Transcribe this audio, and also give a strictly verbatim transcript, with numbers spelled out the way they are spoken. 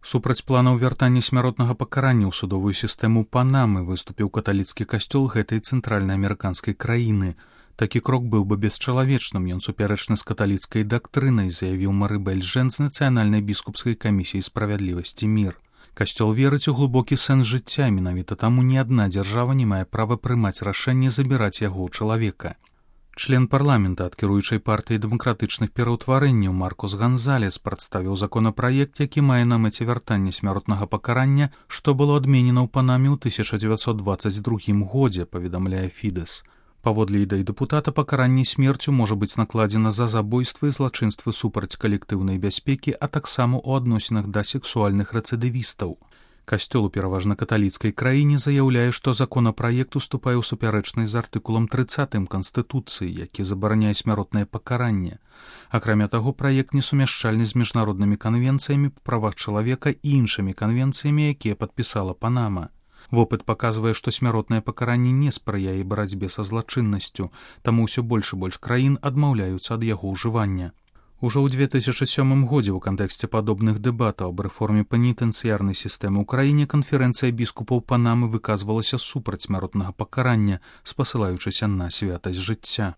Супраць планаў вяртання смяротнага пакарання ў судовую сістэму Панамы выступіў каталіцкі касцёл гэтай цэнтральнаамерыканскай краіны. Такі крок быў бы бесчалавечным, ён супярэчны з каталіцкай дактрынай, заявіў Марыбель Жэн з нацыянальнай біскупскай камісіі справядлівасці мір. Касцёл верыць у глыбокі сэнс жыцця, менавіта таму ні адна дзяржава не мае права прымаць рашэнне забіраць яго ў чалавека. Член парламента ад кіруючай партыі дэмакратычных пераўтварэнняў Маркус Ганзалес прадставіў законапраект, які мае на мэце вяртанне смяротнага пакарання, што было адменена ў Панаме ў тысяча дзевяцьсот дваццаць другім годзе, паведамляе Фідэс. Паводле ідэй дэпутата, пакаранне смерцю можа быць накладзена за забойствы і злачынствы супраць калектыўнай бяспекі, а таксама ў адносінах да сексуальных рэцыдывістаў. Касцёл у пераважна каталіцкай краіне заяўляе, што законапраект уступае ў супярэчнасць з артыкулам трыццатым Канстытуцыі, які забараняе смяротнае пакаранне. Акрамя таго, праект несумяшчальны з міжнароднымі канвенцыямі па правах чалавека і іншымі канвенцыямі, якія падпісала Панама. Вопыт паказвае, што смяротнае пакаранне не спрыяе барацьбе са злачыннасцю, таму ўсё больш і больш краін адмаўляюцца ад яго ўжывання. Ужо ў две тысячы сёмым годзе ў кантэксце падобных дэбатаў аб рэформе пенітэнцыярнай сістэмы ў краіне канферэнцыя біскупаў Панамы выказвалася супраць смяротнага пакарання, спасылаючыся на святасць жыцця.